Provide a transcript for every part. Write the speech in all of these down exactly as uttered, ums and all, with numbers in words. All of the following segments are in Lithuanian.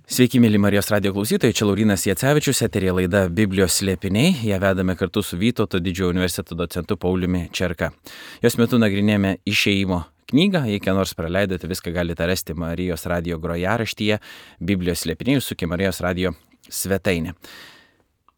Sveiki, mėly Marijos radijo klausytojai, čia Laurynas Jacevičius, eterija laida Biblijos slėpiniai. Ją vedame kartu su Vytauto didžiojo universiteto docentu Pauliumi Čerka. Jos metu nagrinėjame Išėjimo knygą. Jei ką nors praleidote, viską galite rasti Marijos radijo grojaraštyje Biblijos slėpiniai, užsukę Marijos radijo svetainę.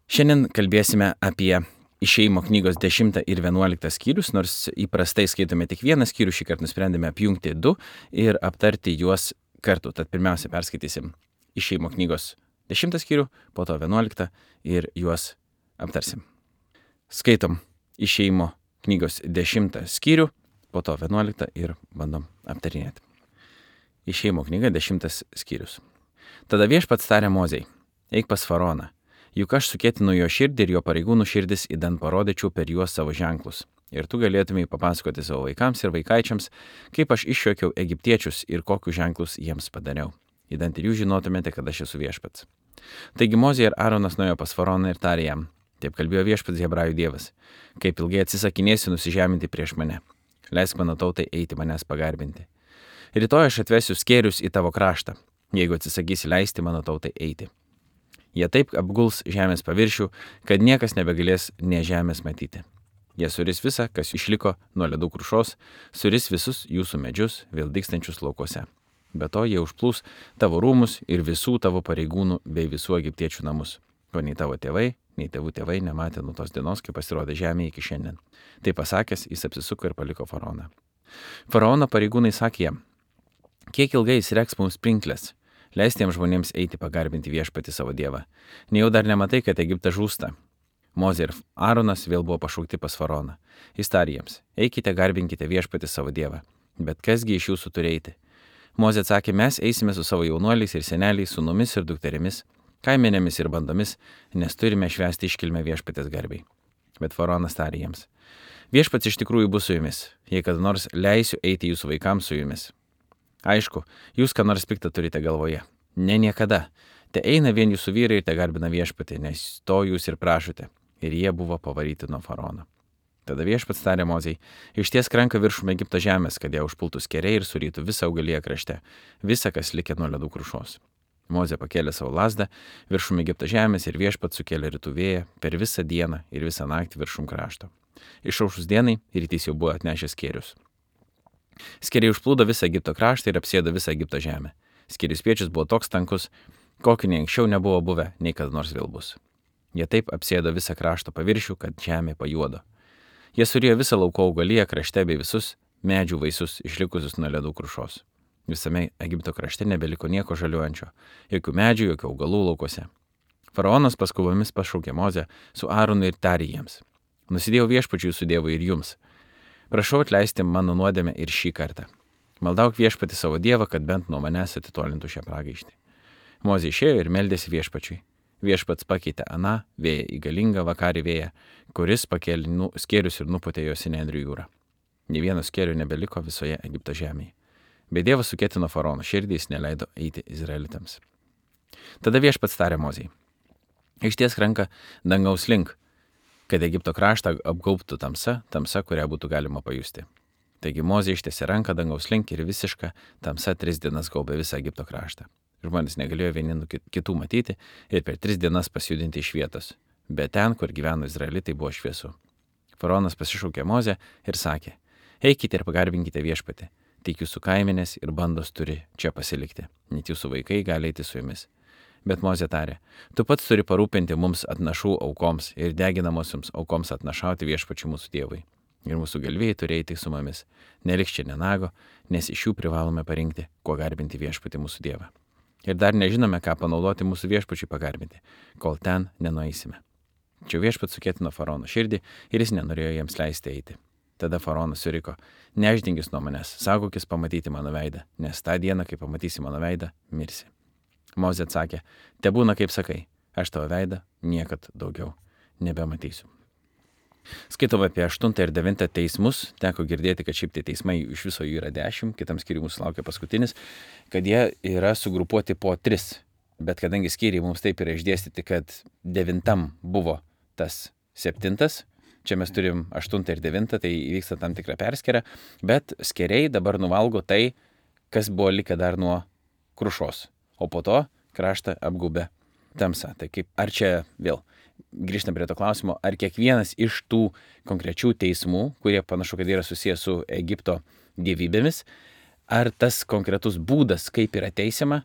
Šiandien kalbėsime apie Išėjimo knygos dešimtą ir vienuoliktą skyrius, nors įprastai skaitome tik vieną skyrių, šį kartą nusprendėme apjungti du ir aptarti juos kartu. Tad pirmiausia perskaitysim Išėjimo knygos dešimtą skyrių, po to vienuoliktą ir juos aptarsim. Skaitom Išėjimo knygos dešimtą skyrių, po to vienuoliktą ir bandom aptarinėti. Išėjimo knyga dešimtas skyrius. Tada viešpats tarė Mozei: eik pas faraoną, juk aš sukėtinu jo širdį ir jo pareigūnų širdis, idant parodyčiau per juos savo ženklus. Ir tu galėtumei papasakoti savo vaikams ir vaikaičiams, kaip aš išjuokiau egiptiečius ir kokius ženklus jiems padariau. Įdant ir jūs žinotumėte, kad aš esu viešpats. Taigi Mozė ir Aaronas nuėjo pas faraoną ir tarė jam: taip kalbėjo viešpats Hebrajų dievas, kaip ilgai atsisakinėsi nusižeminti prieš mane. Leisk mano tautai eiti manęs pagarbinti. Rytoj aš atvesiu skėrius į tavo kraštą, jeigu atsisakysi leisti mano tautai eiti. Jie taip apguls žemės paviršių, kad niekas nebegalės nė žemės matyti. Jie suris visą, kas išliko nuo ledų krušos, suris visus jūsų medžius, vėl dygstančius laukuose. Be to jie užplūs tavo rūmus ir visų tavo pareigūnų bei visų egiptiečių namus, ko nei tavo tėvai, nei tėvų tėvai nematė nuo tos dienos, kai pasirodė žemė iki šiandien. Tai pasakęs, jis apsisuko ir paliko faraoną. Faraono pareigūnai sakė jam: kiek ilgai jis reks mums pinklės, leisti jiems žmonėms eiti pagarbinti viešpatį savo dievą. Nejau dar nematai, kad Egiptas žūsta. Mozė ir Aaronas vėl buvo pašaukti pas faraoną. Jis tarė jiems: eikite, garbinkite viešpatį savo dievą. Bet kasgi iš jūsų turi eiti? Mozė atsakė: mes eisime su savo jaunuoliais ir seneliais, sūnumis ir dukterimis, kaimenėmis ir bandomis, nes turime švęsti iškilmę viešpatės garbiai. Bet faraonas tarė jiems: viešpats iš tikrųjų bus su jumis, jei kada nors leisiu eiti jūsų vaikams su jumis. Aišku, jūs ką nors piktą turite galvoje. Ne niekada. Te eina vien jūsų vyrai ir te garbina viešpatį, nes to jūs ir prašote. Ir jie buvo pavaryti nuo faraono. Tada viešpats tarė Mozei: ištiesk ranką viršum Egipto žemės, kad ją užpultų skėriai ir surytų visą augaliją krašte, visą, kas likė nuo ledų krušos. Mozė pakėlė savo lazdą viršum Egipto žemės ir viešpats sukėlė rytų vėją per visą dieną ir visą naktį viršum krašto. Išaušus dienai rytys jau buvo atnešęs skėrius. Skėriai užplūdo visą Egipto kraštą ir apsėdo visą Egipto žemę. Skėrių spiečius buvo toks tankus, kokį nei anksčiau nebuvo buvę, nei kada nors vėl bus. Jie taip apsėdo visą krašto paviršių, kad žemė pajuodo. Jie surijo visą lauko augaliją krašte bei visus medžių vaisius išlikusius nuo ledų krušos. Visame Egipto krašte nebeliko nieko žaliuojančio, jokių medžių, jokių augalų laukuose. Faraonas paskubomis pašaukė Mozę su Aaronu ir tarė jiems: nusidėjau viešpačiui jūsų dievui ir jums. Prašau atleisti mano nuodėmę ir šį kartą. Maldauk viešpatį savo dievą, kad bent nuo manęs atitolintų šią pragaištį. Mozė išėjo ir meldėsi viešpačiui. Viešpats pakeitė aną vėją į galingą vakarį vėją, kuris pakėlė nu, skėrius ir nupūtė juos į Nendrių jūrą. Nė vieno skėrių nebeliko visoje Egipto žemėje. Bet Dievas sukėtino faraono širdį, jis neleido eiti izraelitams. Tada viešpats tarė Mozei: ištiesk ranką dangaus link, kad Egipto kraštą apgaubtų tamsa, tamsa, kurią būtų galima pajusti. Taigi Mozė ištiesė ranką dangaus link ir visiška tamsa tris dienas gaubė visą Egipto kraštą. Žmonės negalėjo vieni nuo kitų matyti ir per tris dienas pasijudinti iš vietos, bet ten, kur gyveno izraelitai, buvo šviesu. Faraonas pasišaukė Mozę ir sakė: eikite ir pagarbinkite viešpatį, tik jūsų kaimenės ir bandos turi čia pasilikti, net jūsų vaikai gali eiti su jumis. Bet Mozė tarė: tu pats turi parūpinti mums atnašų aukoms ir deginamosioms aukoms atnašauti viešpačiui mūsų dievui. Ir mūsų galvijai turi eiti su mumis, neliks čia nenago, nes iš jų privalome parinkti, kuo garbinti viešpatį mūsų dievą. Ir dar nežinome, ką panaudoti mūsų viešpačiui pagarbinti, kol ten nenueisime. Čia viešpats sukėtino faraono širdį ir jis nenorėjo jiems leisti eiti. Tada faraonas suriko: neždingis nuo manęs, saugokis pamatyti mano veidą, nes tą dieną, kai pamatysi mano veidą, mirsi. Mozė atsakė: tebūna kaip sakai, aš tavo veidą niekad daugiau nebematysiu. Skaitome apie aštuntą ir devintą teismus. Teko girdėti, kad šiaip tai teismai iš viso jų yra dešimt, kitam skyriui mūsų laukia paskutinis, kad jie yra sugrupuoti po tris. Bet kadangi skyriai mums taip yra išdėstyti, kad devintam buvo tas septintas, čia mes turim aštuntą ir devintą, tai įvyksta tam tikra perskėra, bet skėriai dabar nuvalgo tai, kas buvo likę dar nuo krušos. O po to kraštą apgaubė tamsa. Tai kaip, ar čia vėl grįžtam prie to klausimo, ar kiekvienas iš tų konkrečių teismų, kurie panašu, kad yra susijęs su Egipto dievybėmis, ar tas konkretus būdas, kaip yra teisiama,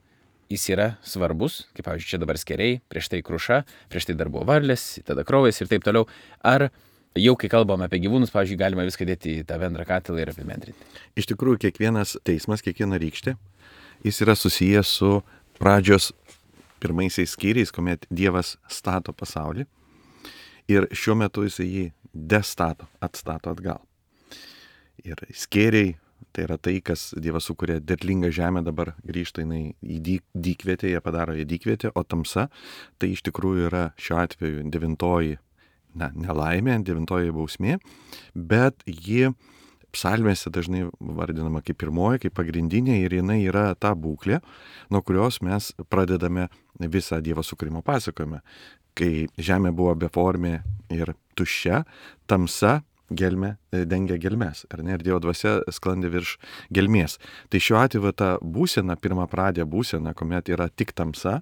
jis yra svarbus, kaip pavyzdžiui, čia dabar skeriai, prieš tai kruša, prieš tai dar buvo varlės, tada kraujas ir taip toliau, ar jau kai kalbam apie gyvūnus, pavyzdžiui, galima viską dėti į tą bendrą katilą ir apibendrinti. Iš tikrųjų, kiekvienas teismas, kiekviena rykštė, jis yra susijęs su pradžios pirmaisiais skyriais, kuomet Dievas stato pasaulį ir šiuo metu jis jį destato, atstato atgal. Ir skėriai, tai yra tai, kas Dievas sukūrė derlingą žemę, dabar grįžta jinai į dyk, dykvietę, jie padaro į dykvietę, o tamsa tai iš tikrųjų yra šiuo atveju devintoji, na, nelaimė, devintoji bausmė, bet ji psalmėse dažnai vardinama kaip pirmoji, kaip pagrindinė ir jinai yra ta būklė, nuo kurios mes pradedame visą Dievo sukūrimo pasakojimą. Kai žemė buvo beformė ir tuščia, tamsa gelmė dengia gelmes, ar ne, ir Dievo dvasia sklandė virš gelmės. Tai šiuo atveju ta būsena, pirmą pradė būsena, kuomet yra tik tamsa,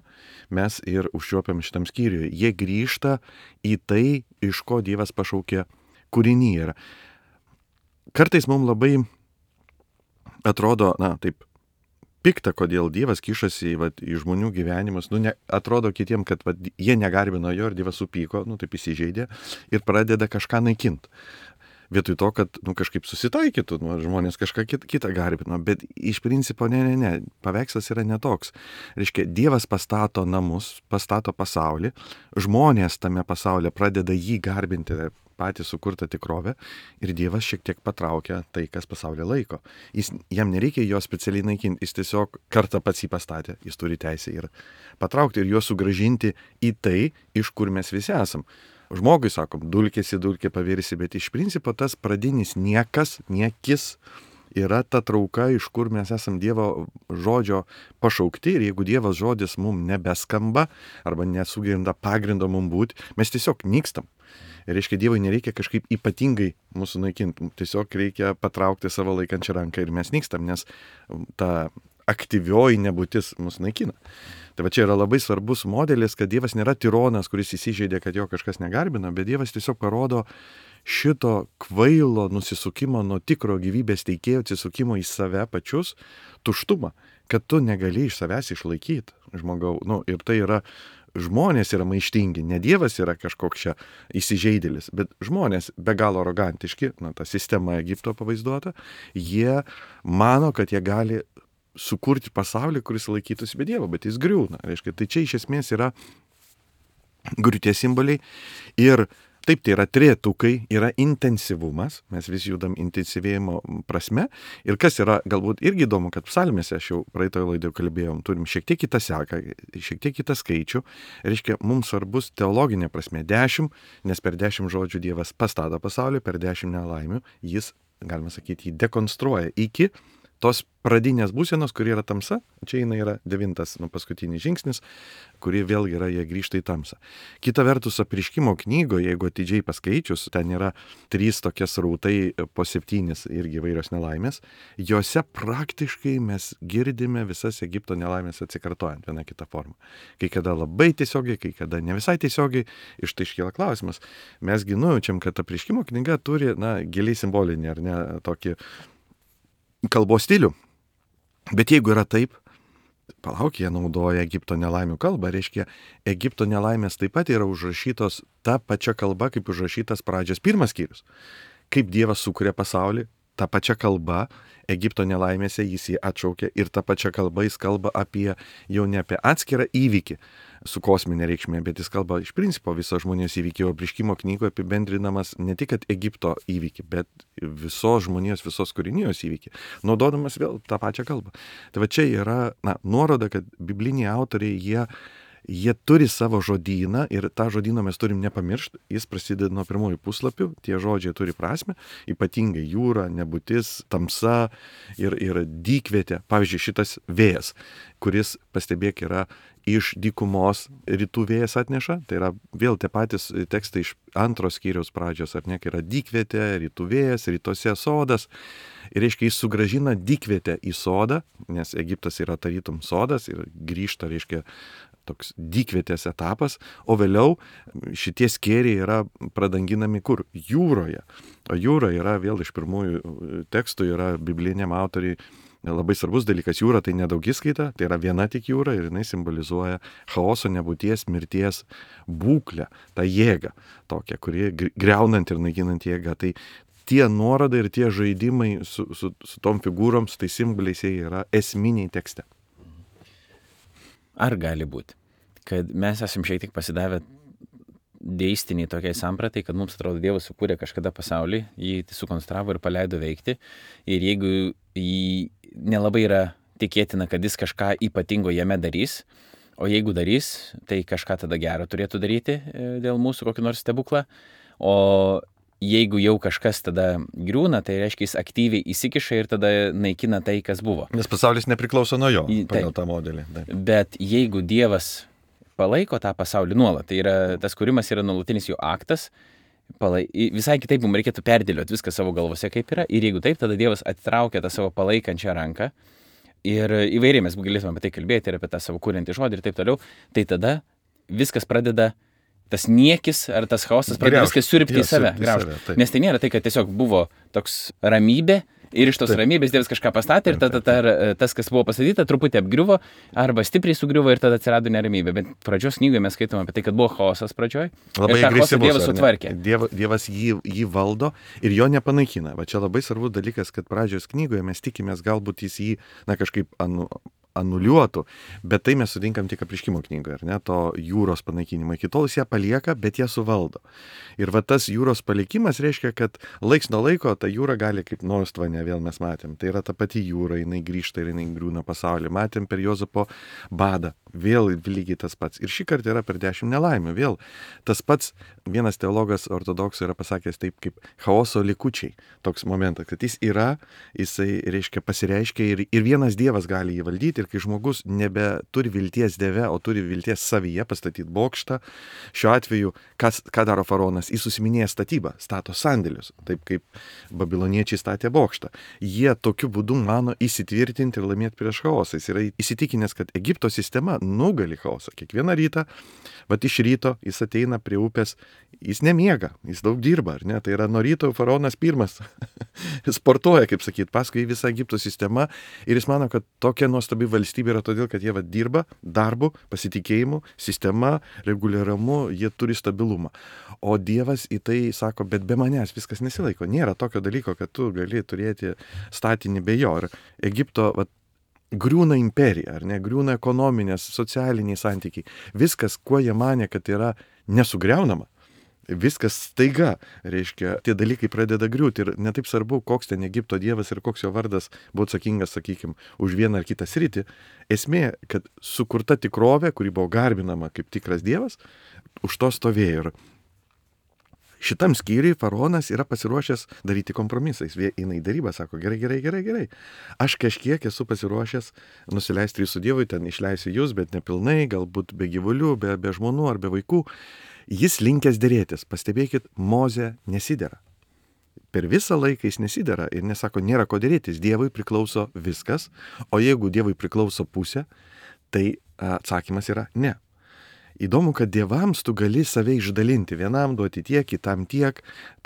mes ir užčiuopiam šitam skyriui. Jie grįžta į tai, iš ko Dievas pašaukė kūrinį. Ir kartais mums labai atrodo, na, taip, pikta, kodėl Dievas kišasi va, į žmonių gyvenimus. Nu, ne, atrodo kitiem, kad va, jie negarbino jo ir Dievas supyko, nu, taip įsižeidė ir pradeda kažką naikinti. Vietoj to, kad nu, kažkaip susitaikytų, nu, žmonės kažką kit, kitą garbino. Bet iš principo, ne, ne, ne, paveikslas yra netoks. Reiškia, Dievas pastato namus, pastato pasaulį, žmonės tame pasaulyje pradeda jį garbinti, patį sukurtą tikrovę ir Dievas šiek tiek patraukia tai, kas pasaulį laiko. Jis, jam nereikia jo specialiai naikinti, jis tiesiog kartą pats jį pastatė, jis turi teisę ir patraukti ir juos sugrąžinti į tai, iš kur mes visi esam. Žmogui, sakom, dulkėsi, dulkė pavirsi, bet iš principo tas pradinis niekas, niekis yra ta trauka, iš kur mes esam Dievo žodžio pašaukti ir jeigu Dievo žodis mums nebeskamba arba nesugerinda pagrindo mums būti, mes tiesiog nykstam. Ir reiškia, Dievui nereikia kažkaip ypatingai mūsų naikinti, tiesiog reikia patraukti savo laikančią ranką ir mes nykstam, nes ta aktyvioji nebūtis mus naikina. Tai va čia yra labai svarbus modelis, kad Dievas nėra tironas, kuris įsižeidė, kad jo kažkas negarbina, bet Dievas tiesiog parodo šito kvailo nusisukimo nuo tikro gyvybės teikėjo atsisukimo į save pačius tuštumą, kad tu negali iš savęs išlaikyti žmogau. Nu, ir tai yra, žmonės yra maištingi, ne Dievas yra kažkoks čia įsižeidėlis, bet žmonės be galo arogantiški, na, ta sistema Egipto pavaizduota, jie mano, kad jie gali sukurti pasaulį, kuris laikytųsi be Dievo, bet jis griūna. Reiškia, tai čia iš esmės yra griūties simboliai ir taip, tai yra trejetukai, yra intensyvumas, mes vis judam intensyvėjimo prasme ir kas yra galbūt irgi įdomu, kad psalmėse, aš jau praeitoje laidoje kalbėjom, turim šiek tiek kitą seką, šiek tiek kitą skaičių, reiškia, mums svarbus teologinė prasme dešimt, nes per dešimt žodžių Dievas pastato pasaulį, per dešimt nelaimių jis, galima sakyti, jį dekonstruoja iki tos pradinės būsenos, kuri yra tamsa, čia jinai yra devintas, nu, paskutinis žingsnis, kuri vėlgi yra, jie grįžta į tamsą. Kita vertus, Apreiškimo knygoje, jeigu atidžiai paskaičius, ten yra trys tokie srautai po septynis irgi įvairios nelaimės, jose praktiškai mes girdime visas Egipto nelaimės atsikartojant vieną kitą formą. Kai kada labai tiesiogiai, kai kada ne visai tiesiogiai, iš tai iškyla klausimas. Mesgi nujaučiam, kad Apreiškimo knyga turi, na, giliai simbolinį, ar ne, tokį kalbos stilių. Bet jeigu yra taip, palauk, jie naudoja Egipto nelaimių kalbą, reiškia, Egipto nelaimės taip pat yra užrašytos ta pačia kalba, kaip užrašytas pradžios pirmas skyrius. Kaip Dievas sukuria pasaulį, ta pačia kalba Egipto nelaimėse jis jį atšaukia ir ta pačia kalba jis kalba apie, jau ne apie atskirą įvykį su kosminė reikšmė, bet jis kalba iš principo viso žmonijos įvykį, o Apreiškimo knygoje apibendrinamas ne tik kad Egipto įvykį, bet visos žmonijos, visos kūrinijos įvykį, naudodamas vėl tą pačią kalbą. Tai va čia yra, na, nuoroda, kad bibliniai autoriai, jie Jie turi savo žodyną ir tą žodyną mes turim nepamiršti, jis prasideda nuo pirmųjų puslapių, tie žodžiai turi prasme, ypatingai jūra, nebūtis, tamsa ir, ir dykvietė, pavyzdžiui, šitas vėjas. kuris, pastebėk, yra iš dykumos rytų vėjas atneša, tai yra vėl tie patys tekstai iš antros skyriaus pradžios, ar ne, kai yra dykvietė, rytų vėjas, rytuose sodas. Ir reiškia, jis sugražina dykvietę į sodą, nes Egiptas yra tarytum sodas ir grįžta, reiškia, toks dykvietės etapas, o vėliau šitie skėriai yra pradanginami kur? Jūroje. O jūra yra vėl iš pirmųjų tekstų, yra bibliniam autoriai labai svarbus dalykas. Jūra tai nedaugiskaita, tai yra viena tik jūra ir jinai simbolizuoja chaoso, nebūties, mirties būklę, tą jėgą tokią, kuri greunant ir naikinant jėgą. Tai tie nuorodai ir tie žaidimai su, su, su tom figūrom, su tais simboliais, jie yra esminiai tekste. Ar gali būti, kad mes esam šiek tiek pasidavę deistiniai tokiai sampratai, kad mums atrodo Dievas sukūrė kažkada pasaulį, jį sukonstravo ir paleido veikti, ir jeigu jį nelabai yra tikėtina, kad jis kažką ypatingo jame darys, o jeigu darys, tai kažką tada gero turėtų daryti dėl mūsų kokį nors stebuklą, o jeigu jau kažkas tada griūna, tai reiškia, jis aktyviai įsikiša ir tada naikina tai, kas buvo. Nes pasaulis nepriklauso nuo jo, pagal tą modelį. Taip. Bet jeigu Dievas palaiko tą pasaulį nuolat, tai yra, tas kūrimas yra nuolatinis jo aktas, palai, visai kitaip mums reikėtų perdėlioti viską savo galvose, kaip yra, ir jeigu taip, tada Dievas atitraukia tą savo palaikančią ranką, ir įvairiai mes galėtume apie tai kalbėti, ir apie tą savo kūrintį žodį ir taip toliau, tai tada viskas pradeda, tas niekis ar tas chaosas pradeda viską siurbti į save, graužti. Nes tai nėra tai, kad tiesiog buvo toks ramybė, ir iš tos taip. Ramybės Dievas kažką pastatė ir tada ta, tas, kas buvo pastatyta, truputį apgriuvo arba stipriai sugriuvo ir tada atsirado neramybė. Bet pradžios knygoje mes skaitome apie tai, kad buvo chaosas pradžioj. Labai ir tą chaosą Dievas sutvarkė. Dievas, dievas jį, jį valdo ir jo nepanaikina. Va čia labai svarbus dalykas, kad pradžios knygoje mes tikimės, galbūt jis jį na, kažkaip anu, anuliuotų, bet tai mes sutinkam tik apreiškimo knygoje, ar ne, to jūros panaikinimo. Iki tol jis ją palieka, bet ją suvaldo. Ir va tas jūros palikimas reiškia, kad laiks nuo laiko ta jūra gali kaip Nostvane, vėl mes matėm. Tai yra ta pati jūra, jinai grįžta ir jinai griūna pasaulį. Matėm per Jozapo badą, vėl lygiai tas pats. Ir šį kartą yra per dešimt nelaimių, vėl tas pats. Vienas teologas ortodoksų yra pasakęs taip kaip chaoso likučiai. Toks momentas, kad jis yra, jisai reiškia pasireiškia ir, ir vienas Dievas gali jį valdyti. Ir kai žmogus nebeturi vilties Dieve, o turi vilties savyje pastatyti bokštą, šiuo atveju, kas, ką daro faraonas, jis susiminėja statybą, stato sandėlius, taip kaip babiloniečiai statė bokštą. Jie tokiu būdu mano įsitvirtinti ir laimėti prieš chaosą. Jis yra įsitikinęs, kad Egipto sistema nugali chaosą. Kiekvieną rytą, vat iš ryto jis ateina prie upės, jis nemiega, jis daug dirba, ar ne? Tai yra nuo ryto faraonas pirmas sportuoja, kaip sakyt, paskui visą Egipto sistemą ir jis mano, kad tokia nuostabi valstybė yra todėl, kad jie va, dirba darbu, pasitikėjimu, sistema, reguliaramu, jie turi stabilumą. O Dievas į tai sako, bet be manęs viskas nesilaiko. Nėra tokio dalyko, kad tu gali turėti statinį be jo. Ir Egipto va, griūna imperija, ar ne, griūna ekonominės, socialiniai santykiai. Viskas, kuo jie manė, kad yra nesugriaunama. Viskas staiga, reiškia, tie dalykai pradeda griūti ir netaip svarbu, koks ten Egipto dievas ir koks jo vardas buvo atsakingas, sakykime, už vieną ar kitą sritį. Esmė, kad sukurta tikrovė, kuri buvo garbinama kaip tikras dievas, už to stovėjo. Ir šitam skyriui faraonas yra pasiruošęs daryti kompromisais. Eina į darybą, sako, gerai, gerai, gerai, gerai. Aš kažkiek esu pasiruošęs nusileisti jūsų dievui, ten išleisiu jūs, bet nepilnai, galbūt be gyvulių, be, be žmonų ar be vaikų. Jis linkęs dėrėtis. Pastebėkit, Mozė nesidera. Per visą laiką jis nesidera ir nesako, nėra ko dėrėtis. Dievui priklauso viskas, o jeigu Dievui priklauso pusė, tai atsakymas yra ne. Įdomu, kad dievams tu gali save išdalinti. Vienam duoti tiek, kitam tiek.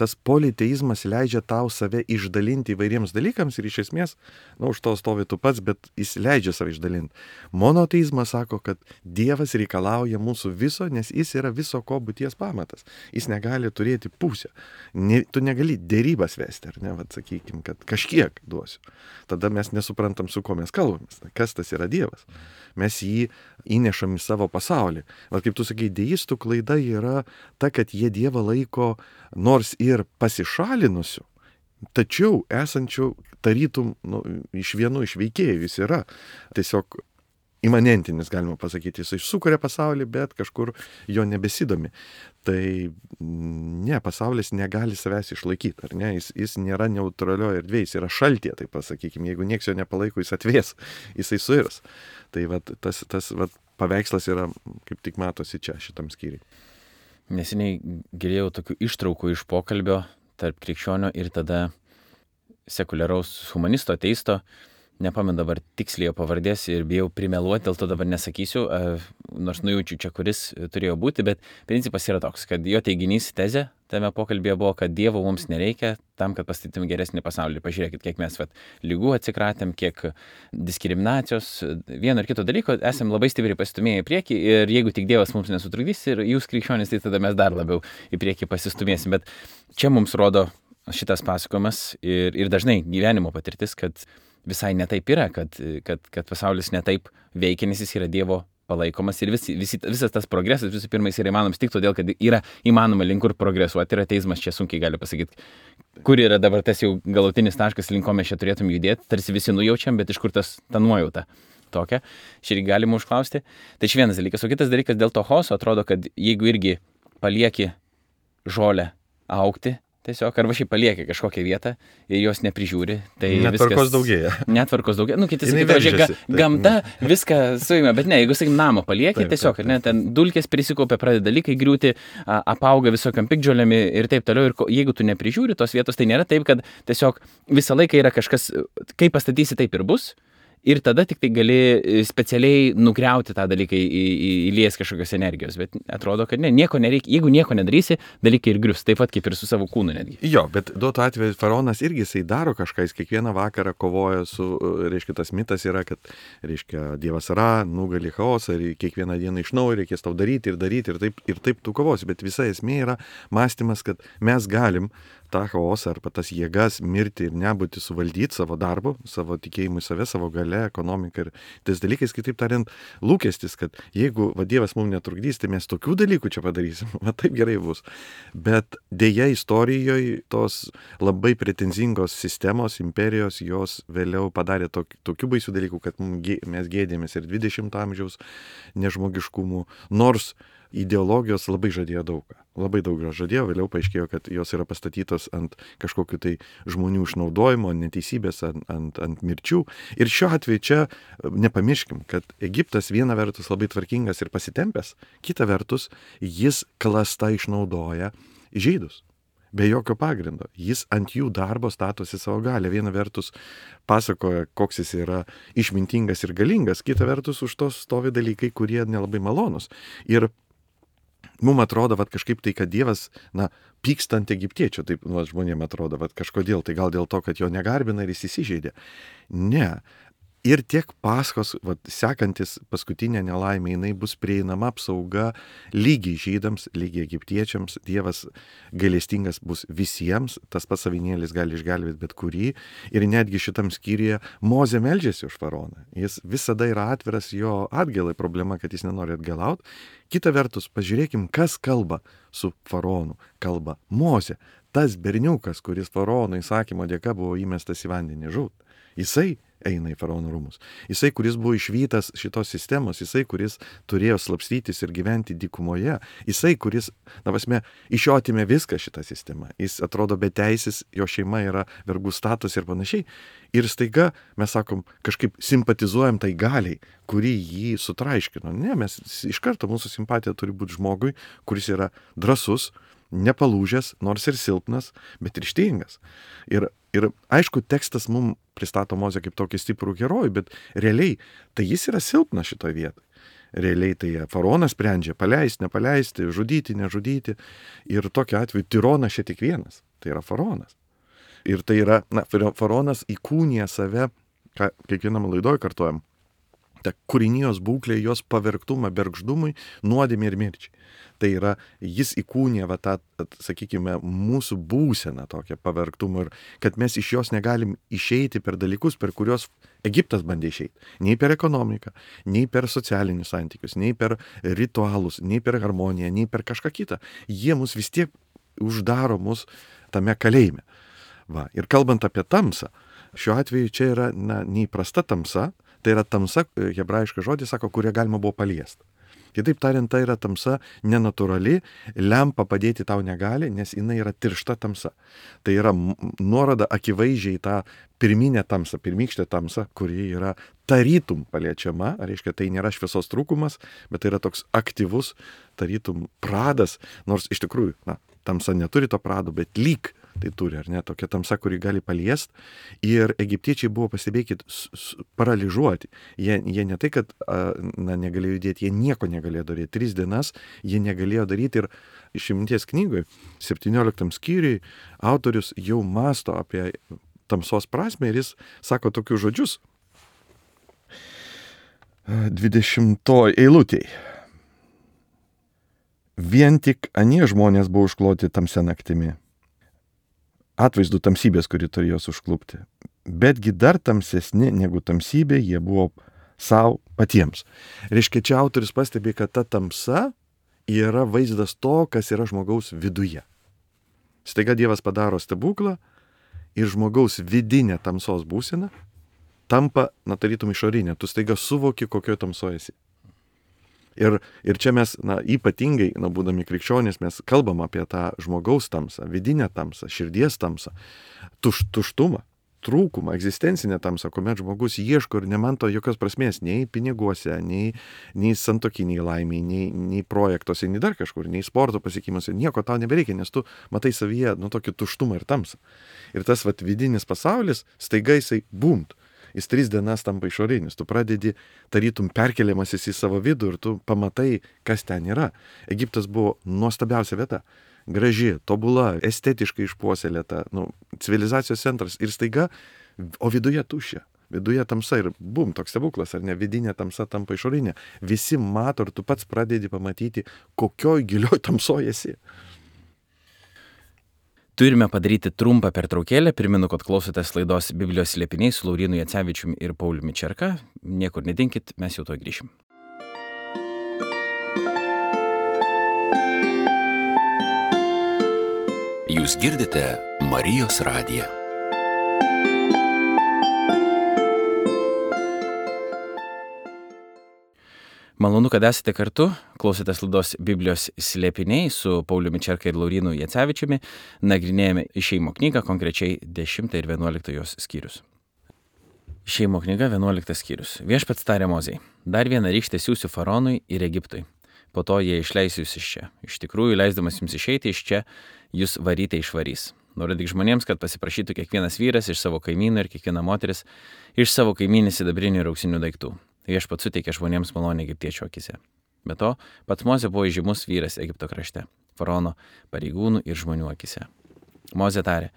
Tas politeizmas leidžia tau save išdalinti įvairiems dalykams ir iš esmės, na, už to stovi tu pats, bet jis leidžia save išdalinti. Monoteizmas sako, kad Dievas reikalauja mūsų viso, nes jis yra viso ko būties pamatas. Jis negali turėti pusę. Ne, tu negali dėrybas vesti, ar ne, vat sakykim, kad kažkiek duosiu. Tada mes nesuprantam, su ko mes kalbamės. Kas tas yra Dievas? Mes jį įnešam į savo pasaulį. Vat kaip tu sakai, deistų klaida yra ta, kad jie Dievą laiko nors ir pasišalinusiu, tačiau esančių tarytum nu, iš vienų iš veikėjų. Jis yra tiesiog imanentinis, galima pasakyti. Jisai sukuria pasaulį, bet kažkur jo nebesidomi. Tai ne, pasaulis negali savęs išlaikyti, ar ne? Jis, jis nėra neutralioje erdvėje, jis yra šaltė, tai pasakykime. Jeigu nieks jo nepalaiko, jis atvės, jisai suirs. Tai vat, tas, tas vat, paveikslas yra, kaip tik matosi čia, šitam skyriui. Neseniai girdėjau tokių ištraukų iš pokalbio tarp krikščionio ir tada sekuliaraus humanisto, ateisto. Nepamenu dabar tiksliai jo pavardės ir bijau primeluoti, dėl to dabar nesakysiu, nors nujaučiu čia, kuris turėjo būti, bet principas yra toks, kad jo teiginys, tezė tame pokalbėje buvo, kad Dievo mums nereikia tam, kad pastatytum geresnį pasaulį. Pažiūrėkit, kiek mes vat, lygų atsikratėm, kiek diskriminacijos, vieno ir kito dalyko, esam labai stipriai pasistumėję į priekį ir jeigu tik Dievas mums nesutrukdys ir jūs krikščionys, tai tada mes dar labiau į priekį pasistumėsim. Bet čia mums rodo šitas pasakojimas ir, ir dažnai gyvenimo patirtis, kad visai netaip yra, kad, kad, kad pasaulis netaip veikia, nes jis yra Dievo palaikomas ir vis, vis, visas tas progresas visų pirma jis yra įmanomas tik todėl, kad yra įmanoma link kur progresuoti ir ateizmas čia sunkiai gali pasakyti, kur yra dabar tas jau galutinis taškas, link ko mes čia turėtum judėti, tarsi visi nujaučiam, bet iš kur tas ta nuojauta tokia, šį galima užklausti. Tai čia vienas dalykas, o kitas dalykas dėl to chaoso atrodo, kad jeigu irgi palieki žolę augti, tiesiog, arba šiaip palieki kažkokią vietą ir jos neprižiūri, tai netvarkos viskas... daugėja. Netvarkos daugėja. Nu, kiti sakytų, ga, gamta viską suima, bet ne, jeigu, sakykim, namą palieki, taip, tiesiog, taip, taip. Ne, ten dulkės prisikaupia, pradeda dalykai griūti, apauga visokiam piktžolėmi ir taip toliau. Ir jeigu tu neprižiūri tos vietos, tai nėra taip, kad tiesiog visą laiką yra kažkas, kaip pastatysi, taip ir bus. Ir tada tik tai gali specialiai nugriauti tą dalyką, į, į, įlies kažkokios energijos. Bet atrodo, kad ne, nieko nereikia. Jeigu nieko nedarysi, dalykai ir grius. Taip pat kaip ir su savo kūnu netgi. Jo, bet duotu atveju faraonas irgi jisai daro kažką, jis kiekvieną vakarą kovoja su, reiškia, tas mitas yra, kad, reiškia, Dievas Ra, nugali chaosą ir kiekvieną dieną iš naujo reikės tau daryti ir daryti ir taip, ir taip tu kovosi. Bet visa esmė yra mąstymas, kad mes galim tą chaosą arba tas jėgas mirti ir nebūti suvaldyti savo darbu, savo tikėjimu į save, savo gale, ekonomiką ir tais dalykais, kitaip tariant, lūkestis, kad jeigu va, Dievas mums netrukdys, tai mes tokių dalykų čia padarysim, va taip gerai bus. Bet dėja istorijoje tos labai pretenzingos sistemos, imperijos, jos vėliau padarė tok, tokių baisių dalykų, kad mes gėdėmės ir dvidešimto amžiaus nežmogiškumų, nors ideologijos labai žadėjo daugą. Labai daug žadėjo, vėliau paaiškėjo, kad jos yra pastatytos ant kažkokių tai žmonių išnaudojimo, neteisybės, ant, ant, ant mirčių. Ir šiuo atveju čia nepamirškim, kad Egiptas viena vertus labai tvarkingas ir pasitempęs, kita vertus jis klasta išnaudoja žydus. Be jokio pagrindo. Jis ant jų darbo statosi savo galę. Viena vertus pasakoja, koks jis yra išmintingas ir galingas, kita vertus už to stovi dalykai, kurie nelabai malonus. Ir mums atrodo, vat, kažkaip tai, kad Dievas, na, pyksta ant egiptiečio, taip nu, žmonėms atrodo, vat, kažkodėl, tai gal dėl to, kad jo negarbina ir jis įsižeidė. Ne. Ir tiek Paskos, vat, sekantis paskutinė nelaimė, jinai bus prieinama apsauga lygiai žydams, lygiai egiptiečiams. Dievas gailestingas bus visiems, tas pats avinėlis gali išgelbėti bet kurį. Ir netgi šitam skyriuje Mozė meldžiasi už faraoną. Jis visada yra atviras jo atgailai, problema, kad jis nenori atgailauti. Kita vertus, pažiūrėkim, kas kalba su faraonu. Kalba Mozė, tas berniukas, kuris faraono įsakymo dėka buvo įmestas į vandenį žūt. Jisai eina į faraono rūmus. Jisai, kuris buvo išvytas šitos sistemos, jisai, kuris turėjo slapstytis ir gyventi dykumoje, jisai, kuris, na prasme, iš jo atimė viską šitą sistemą. Jis atrodo beteisis, jo šeima yra vergų status ir panašiai. Ir staiga mes sakom, kažkaip simpatizuojam tai galiai, kuri jį sutraiškino. Ne, mes iš karto mūsų simpatija turi būti žmogui, kuris yra drąsus, nepalūžęs, nors ir silpnas, bet ryžtingas. Ir, ir aišku, tekstas mums pristato Mozę kaip tokį stiprų herojų, bet realiai tai jis yra silpnas šitoje vietoje. Realiai tai faraonas sprendžia paleisti, nepaleisti, žudyti, nežudyti. Ir tokiu atveju tironas čia tik vienas. Tai yra faraonas. Ir tai yra, na, faraonas įkūnija save, ką kiekvienam laidoj kartuojam, ta kūrinijos būklė, jos pavergtumą bergždumui, nuodėmei ir mirčiai. Tai yra, jis įkūnija va tą, sakykime, mūsų būseną tokią pavergtumą ir kad mes iš jos negalim išeiti per dalykus, per kuriuos Egiptas bandė išeiti. Nei per ekonomiką, nei per socialinius santykius, nei per ritualus, nei per harmoniją, nei per kažką kitą. Jie mus vis tiek uždaro mus tame kalėjime. Va. Ir kalbant apie tamsą, šiuo atveju čia yra na, neįprasta tamsa, Tai yra tamsa, hebrajiškas žodis sako, kurią galima buvo paliesti. Kitaip tariant, tai yra tamsa nenatūrali, lempa padėti tau negali, nes jinai yra tiršta tamsa. Tai yra nuoroda akivaizdžiai tą pirminę tamsą, pirmykštę tamsą, kuri yra tarytum paliečiama, reiškia, tai nėra šviesos trūkumas, bet tai yra toks aktyvus tarytum pradas, nors iš tikrųjų, na, tamsa neturi to prado, bet lyg tai turi, ar ne, tokia tamsa, kuri gali paliest. Ir egiptiečiai buvo, pastebėkit, paralyžuoti. Jie, jie ne tai, kad na, negalėjo judėti, jie nieko negalėjo daryti. Tris dienas jie negalėjo daryti ir Išminties knygoje, septynioliktam skyriui, autorius jau masto apie tamsos prasme ir jis sako tokius žodžius. dvidešimtoj eilutėj. Vien tik anie žmonės buvo užkloti tamsia naktimi. Atvaizdų tamsybės, kuri turėjo užklupti. Betgi dar tamsesni negu tamsybė jie buvo savo patiems. Reiškia, čia autorius pastebi, kad ta tamsa yra vaizdas to, kas yra žmogaus viduje. Staiga Dievas padaro stebuklą ir žmogaus vidinė tamsos būsena tampa, na, tarytum išorinė. Tu staiga suvoki, kokioje tamsoje esi. Ir, ir čia mes, na, ypatingai, na, būdami krikščionys, mes kalbam apie tą žmogaus tamsą, vidinę tamsą, širdies tamsą, tuš, tuštumą, trūkumą, egzistencinę tamsą, kuomet žmogus ieško ir nemanto jokios prasmės nei piniguose, nei, nei santokiniai laimiai, nei, nei projektuose, nei dar kažkur, nei sporto pasiekimuose, nieko tau nebereikia, nes tu matai savyje, nu, tokį tuštumą ir tamsą. Ir tas, vat, vidinis pasaulis, staiga jisai bumt. Jis tris dienas tampa išorinis, tu pradedi tarytum perkeliamasis į savo vidų ir tu pamatai, kas ten yra. Egiptas buvo nuostabiausia vieta, graži, tobula, estetiškai išpuoselėta, nu, civilizacijos centras ir staiga, o viduje tuščia, viduje tamsa ir bum, toks stebuklas, ar ne, vidinė tamsa tampa išorinė. Visi mato ir tu pats pradedi pamatyti, kokioj gilioj tamsoje esi. Turime padaryti trumpą pertraukėlę. Primenu, kad klausotės laidos Biblijos slėpiniai su Laurynu Jacevičiumi ir Pauliumi Čerka. Niekur nedinkit, mes jau to grįšim. Jūs girdite Marijos radiją. Malonu, kad esate kartu, klausotės laidos Biblijos slėpiniai su Pauliumi Čerka ir Laurynu Jacevičiumi, nagrinėjame Išėjimo knygą, konkrečiai dešimtą ir vienuoliktą jos skyrius. Išėjimo knyga, vienuoliktas skyrius. Viešpats tarė Mozei, dar vieną rykštę siųsiu Faraonui ir Egiptui, po to jie išleis jūs iš čia. Iš tikrųjų, leisdamas jums išeiti iš čia, jūs varyti išvarys. Nurodyk žmonėms, kad pasiprašytų kiekvienas vyras iš savo kaimynų ir kiekviena moteris iš savo kaimynės sidabrinių ir auksinių daiktų. Viešpats suteikė žmonėms malonę egiptiečių akise. Be to, pats Mozė buvo įžymus vyras Egipto krašte, Faraono pareigūnų ir žmonių akise. Mozė tarė,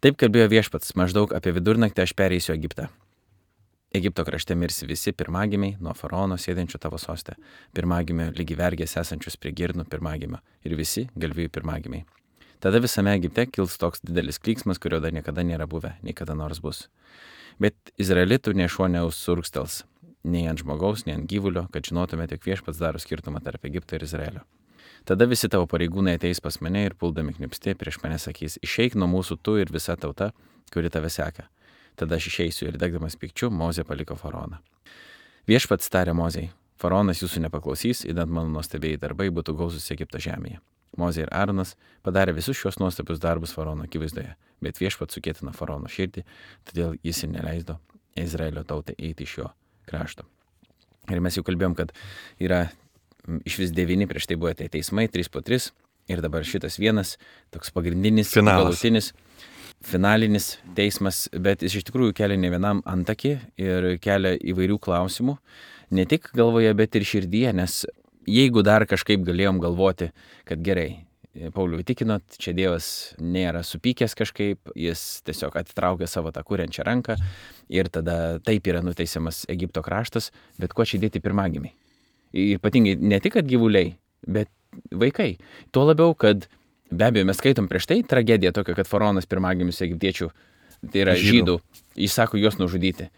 taip kalbėjo Viešpats, maždaug apie vidurnaktį aš pereisiu Egiptą. Egipto krašte mirsi visi pirmagimiai nuo Faraono sėdinčio tavo soste, pirmagimio lygi vergės esančius prie girnų pirmagimio ir visi galvijų pirmagimiai. Tada visame Egipte kils toks didelis klyksmas, kurio dar niekada nėra buvę, nei kada nors bus. Bet izraelitų nė šuo neužsurkstels, nei ant žmogaus, nei ant gyvulio, kad žinotumėte, jog Viešpats daro skirtumą tarp Egipto ir Izraelio. Tada visi tavo pareigūnai ateis pas mane ir puldami knipsti prieš mane sakys, išeik nuo mūsų tu ir visa tauta, kuri tave seka. Tada aš išeisiu ir degdamas pykčiu, Mozė paliko Faraoną. Viešpats tarė Mozei, Faraonas jūsų nepaklausys, idant mano nuostabieji darbai būtų gausūs Egipto žemėje. Mozė ir Aaronas padarė visus šios nuostabius darbus Faraono akivaizdoje, bet Viešpats sukėtino Faraono širdį, todėl jis ir neleido Izraelio tautai eiti iš jo krašto. Ir mes jau kalbėjom, kad yra iš vis devyni, prieš tai buvo tie teismai, trys po tris, ir dabar šitas vienas, toks pagrindinis, Finalas. galutinis, finalinis teismas, bet jis iš tikrųjų kelia ne vienam antakį ir kelia įvairių klausimų, ne tik galvoje, bet ir širdyje, nes jeigu dar kažkaip galėjom galvoti, kad gerai, Paulių įtikinot, čia Dievas nėra supykęs kažkaip, jis tiesiog atitraukia savo tą kuriančią ranką ir tada taip yra nuteisiamas Egipto kraštas, bet kuo čia dėti pirmagimiai. Ypatingai ne tik, kad gyvuliai, bet vaikai. Tuo labiau, kad be abejo mes skaitom prieš tai tragediją tokia, kad Faraonas pirmagimius egiptiečių, tai yra žydų, jis sako juos nužudyti.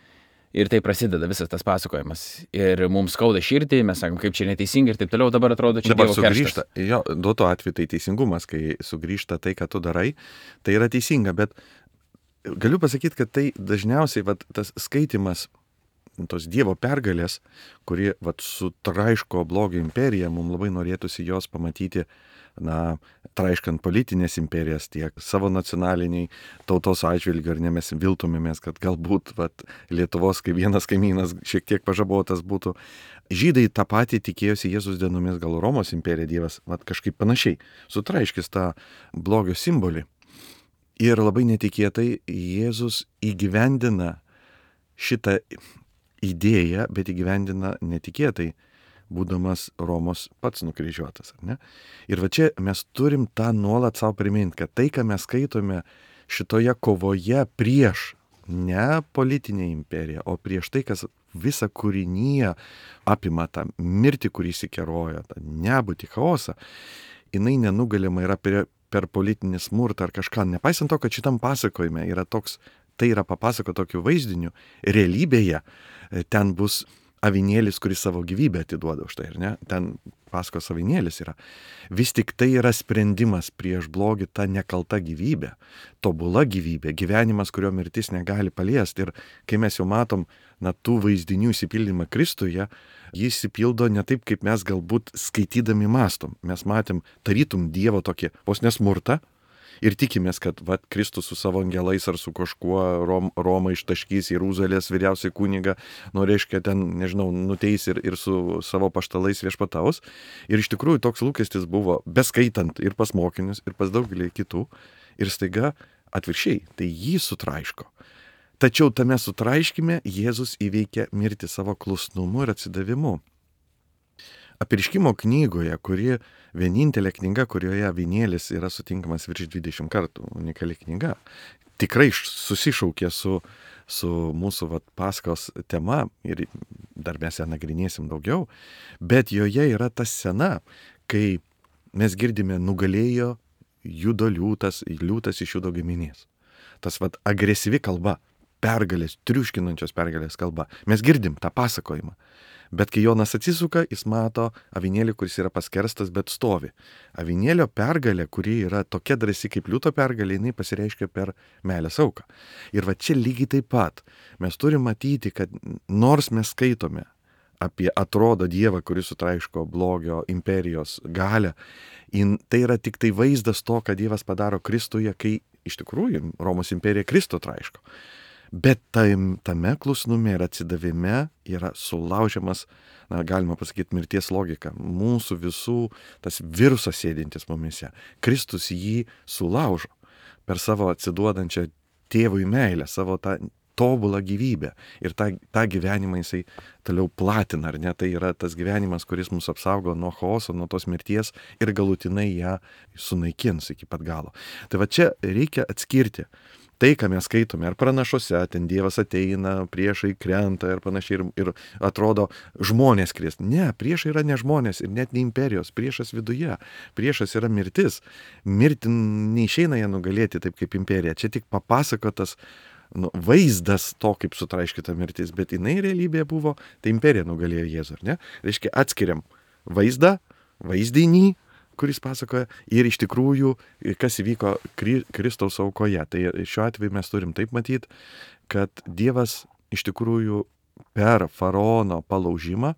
Ir tai prasideda visas tas pasakojimas. Ir mums skauda širdį, mes sakom, kaip čia neteisingai ir taip toliau, dabar atrodo čia dabar Dievo sugrįžta. kerštas. Jo, duoto atveju tai teisingumas, kai sugrįžta tai, ką tu darai, tai yra teisinga, bet galiu pasakyti, kad tai dažniausiai vat, tas skaitimas tos Dievo pergalės, kuri vat, sutraiško blogio imperiją, mums labai norėtųsi jos pamatyti, na, traiškant politinės imperijas tiek savo nacionaliniai tautos atžvilgiu, ar ne mes viltumėmės, kad galbūt vat, Lietuvos kaip vienas kaimynas šiek tiek pažabotas būtų. Žydai tą patį tikėjosi Jėzus dienomis, gal Romos imperija Dievas vat, kažkaip panašiai sutraiškis tą blogio simbolį. Ir labai netikėtai Jėzus įgyvendina šitą idėją, bet įgyvendina netikėtai, būdamas Romos pats nukryžiuotas. Ar ne? Ir va čia mes turim tą nuolat savo priminti, kad tai, ką mes skaitome šitoje kovoje prieš ne politinę imperiją, o prieš tai, kas visą kūrinyje apima tą mirtį, kurį įsikeroja, tą nebūtį, chaosą, jinai nenugalima yra per, per politinį smurtą ar kažką. Nepaisant to, kad šitam pasakojime yra toks, tai yra papasako tokiu vaizdiniu, realybėje ten bus avinėlis, kuris savo gyvybę atiduoda už tai, ar ne? Ten pasakos avinėlis yra. Vis tik tai yra sprendimas prieš blogį, ta nekalta gyvybė, tobula gyvybė, gyvenimas, kurio mirtis negali paliesti. Ir kai mes jau matom, na, tų vaizdinių įsipildymą Kristuje, jis įsipildo ne taip, kaip mes galbūt skaitydami mastom. Mes matėm tarytum Dievo tokį vos nesmurtą, ir tikimės, kad vat, Kristus su savo angelais ar su kažkuo Rom, Romą ištaškys, Jeruzalės vyriausiai kunigą, nu reiškia ten, nežinau, nuteis ir, ir su savo paštalais viešpataus. Ir iš tikrųjų toks lūkestis buvo, beskaitant ir pas mokinius, ir pas daugelį kitų. Ir staiga atvirkščiai, tai jį sutraiško. Tačiau tame sutraiškime Jėzus įveikia mirtį savo klusnumu ir atsidavimu. Apreiškimo knygoje, kuri vienintelė knyga, kurioje avinėlis yra sutinkamas virš dvidešimt kartų, unikali knyga, tikrai susišaukė su, su mūsų vat, paskos tema ir dar mes ją nagrinėsim daugiau, bet joje yra ta scena, kai mes girdime nugalėjo judo liūtas, liūtas iš judo giminės. Tas vat, agresyvi kalba, pergalės, triuškinančios pergalės kalba. Mes girdim tą pasakojimą. Bet kai Jonas atsisuka, jis mato avinėlį, kuris yra paskerstas, bet stovi. Avinėlio pergalė, kuri yra tokia drąsi kaip liūto pergalė, jinai pasireiškia per meilės auką. Ir va čia lygiai taip pat mes turime matyti, kad nors mes skaitome apie atrodo Dievą, kuris sutraiško blogio imperijos galią, tai yra tik tai vaizdas to, ką Dievas padaro Kristuje, kai iš tikrųjų Romos imperija Kristų traiško. Bet tame klusnume ir atsidavime yra sulaužiamas, na, galima pasakyti, mirties logika. Mūsų visų tas virusas sėdintis mumise. Kristus jį sulaužo per savo atsiduodančią tėvui meilę, savo tą tobulą gyvybę. Ir tą, tą gyvenimą jisai toliau platina, ar ne? Tai yra tas gyvenimas, kuris mus apsaugo nuo chaoso, nuo tos mirties ir galutinai ją sunaikins iki pat galo. Tai va čia reikia atskirti. Tai, ką mes skaitome, ar pranašuose, ten Dievas ateina, priešai krenta ir panašiai, ir, ir atrodo žmonės kris. Ne, priešai yra ne žmonės ir net ne imperijos, priešas viduje, priešas yra mirtis. Mirti neišeina ją nugalėti taip kaip imperija. Čia tik papasakotas nu, vaizdas to, kaip sutraiškita mirtis, bet jinai realybėje buvo, tai imperija nugalėjo Jėzų, ar ne? Reiškia, atskiriam vaizdą, vaizdinį, kuris pasakoja, ir iš tikrųjų, kas įvyko Kristaus aukoje. Tai šiuo atveju mes turim taip matyti, kad Dievas iš tikrųjų per faraono palaužimą,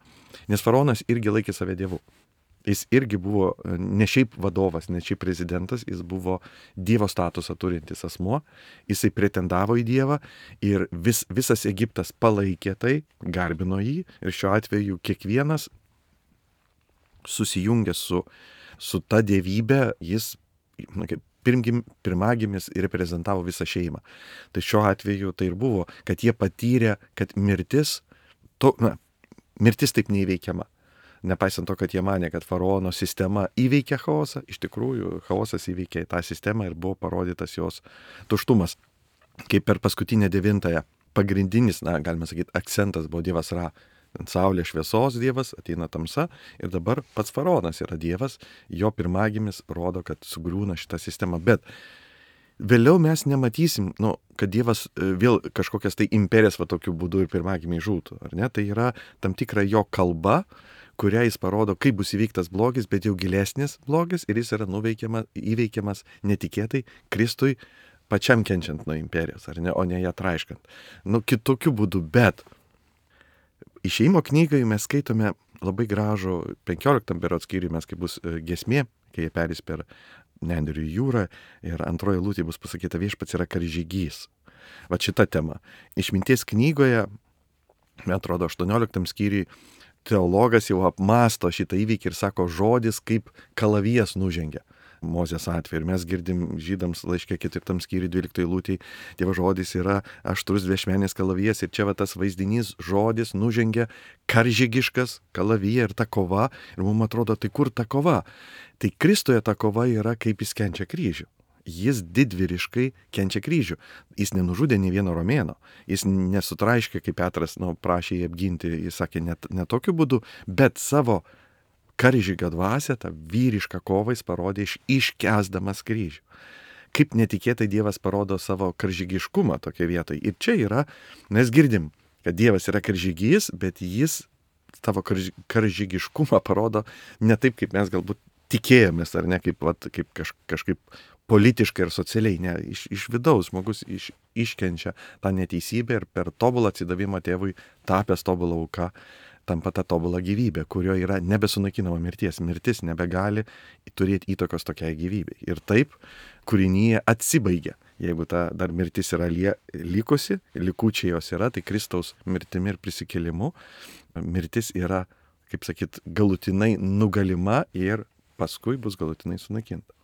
nes faraonas irgi laikė save dievu. Jis irgi buvo ne šiaip vadovas, ne šiaip prezidentas, jis buvo Dievo statusą turintis asmuo, jisai pretendavo į Dievą ir vis, visas Egiptas palaikė tai, garbino jį ir šiuo atveju kiekvienas susijungęs su su ta dievybė, jis na, kaip pirmgim, pirmagimis reprezentavo visą šeimą. Tai šiuo atveju tai ir buvo, kad jie patyrė, kad mirtis, to, na, mirtis taip neįveikiama. Nepaisant to, kad jie manė, kad faraono sistema įveikia chaosą, iš tikrųjų chaosas įveikė tą sistemą ir buvo parodytas jos tuštumas. Kaip per paskutinę devintąją pagrindinis, na, galima sakyti, akcentas buvo Dievas Ra. Saulė šviesos Dievas, ateina tamsa ir dabar pats faraonas yra Dievas, jo pirmagimis rodo, kad sugriūna šitą sistemą. Bet vėliau mes nematysim, nu, kad Dievas vėl kažkokias tai imperijas va tokiu būdu ir pirmagimiai žūtų, ar ne? Tai yra tam tikra jo kalba, kurią jis parodo, kaip bus įveiktas blogis, bet jau gilesnis blogis ir jis yra nuveikiamas, įveikiamas netikėtai Kristui pačiam kenčiant nuo imperijos, ar ne, o ne ją traiškant. Nu, kitokiu būdu, bet Išėjimo knygai mes skaitome labai gražų penkioliktam berods skyriui, mes kaip bus giesmė, kai jie perės per Nendrių jūrą ir antroji eilutė bus pasakyta viešpats yra karžygys. Va šita tema. Išminties knygoje, man atrodo, aštuonioliktam skyriui teologas jau apmasto šitą įvykį ir sako žodis kaip kalavijas nužengia. Mozės atveju. Ir mes girdim žydams laiške ketvirtam skyriui dvyliktai eilutėj, Dievo žodis yra aštrus dviašmenis kalavijas ir čia va tas vaizdinys žodis nužengia karžygiškas kalavija ir ta kova. Ir mums atrodo, tai kur ta kova? Tai Kristuje ta kova yra, kaip jis kenčia kryžių. Jis didvyriškai kenčia kryžių. Jis nenužudė nei vieno romėno. Jis nesutraiškė, kaip Petras nu, prašė jį apginti. Jis sakė ne, ne tokiu būdu, bet savo karžygio dvasią, tą vyrišką kovą jis parodė iš, iškęsdamas kryžių. Kaip netikėtai Dievas parodo savo karžygiškumą tokia vietoje. Ir čia yra, mes girdim, kad Dievas yra karžygys, bet jis savo karž, karžygiškumą parodo ne taip, kaip mes galbūt tikėjomės, ar ne, kaip, vat, kaip kaž, kažkaip politiškai ir socialiai, ne, iš, iš vidaus žmogus iš, iškenčia tą neteisybę ir per tobulą atsidavimą tėvui tapęs tobulą auką tampa ta tobula gyvybė, kurio yra nebesunaikinama mirties. Mirtis nebegali turėti įtakos tokiai gyvybei. Ir taip kūrinyje atsibaigia. Jeigu ta dar mirtis yra lie, likusi, likučiai jos yra, tai Kristaus mirtimi ir prisikėlimu mirtis yra, kaip sakyt, galutinai nugalima ir paskui bus galutinai sunaikinta.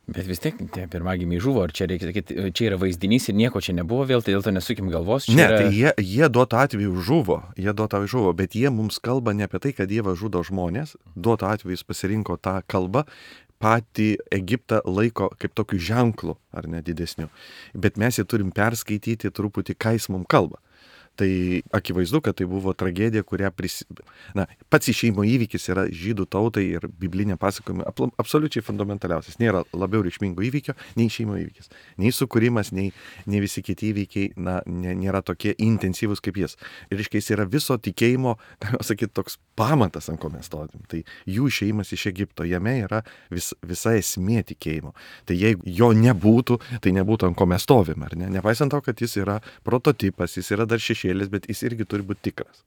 Bet vis tiek tie pirmagimiai žuvo, ar čia reikia sakyti, čia yra vaizdinys ir nieko čia nebuvo vėl, tai dėl to nesukim galvos. Ne, yra... tai jie, jie duoto atveju žuvo, jie duoto atveju žuvo, bet jie mums kalba ne apie tai, kad Dievas žudo žmonės, duoto atveju jis pasirinko tą kalbą, patį Egiptą laiko kaip tokiu ženklu, ar ne didesniu, bet mes jį turim perskaityti truputį, ką jis mums kalba. Tai akivaizdu, kad tai buvo tragedija, kurią pris... Na, pats išėjimo įvykis yra žydų tautai ir biblinė pasakojimai absoliučiai fundamentaliausias. Nėra labiau reikšmingo įvykio nei išėjimo įvykis. Nei sukūrimas, nei, nei visi kiti įvykiai, na, nė, nėra tokie intensyvūs kaip jis. Ir reiškia, jis yra viso tikėjimo, galima sakyti, toks pamatas, ant ko mes stovim. Tai jų išėjimas iš Egipto, jame yra vis, visa esmė tikėjimo. Tai jeigu jo nebūtų, tai nebūtų, ant ko mes stovim, ar ne? Nepaisant to, kad jis yra prototipas, jis yra dar šešėlis, bet jis irgi turi būti tikras.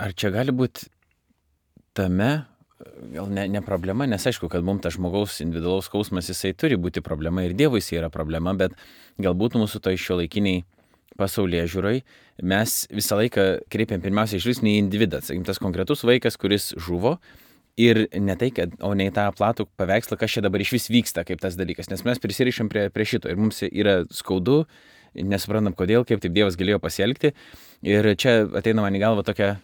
Ar čia gali būti tame, gal ne, ne problema, nes aišku, kad mums tas žmogaus individualaus skausmas, jisai turi būti problema ir Dievui jisai yra problema, bet galbūt mūsų to šiuolaikiniai pasaulyje žiūrai, mes visą laiką kreipiam pirmiausia žvilgsnį į individą, sakykim, tas konkretus vaikas, kuris žuvo ir ne tai, kad, o ne į tą platų paveikslą, kas čia dabar iš vis vyksta kaip tas dalykas, nes mes prisirišam prie, prie šito ir mums yra skaudu, nesuprantam kodėl, kaip taip Dievas galėjo pasielgti. Ir čia ateina man į galvą tokia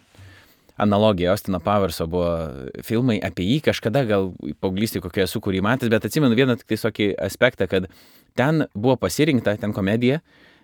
analogija, Austino Powerso buvo filmai apie jį, kažkada gal paauglystėje kokioje esu, kurį matęs, bet atsimenu vieną tik tokį aspektą, kad ten buvo pasirinkta, ten komedija,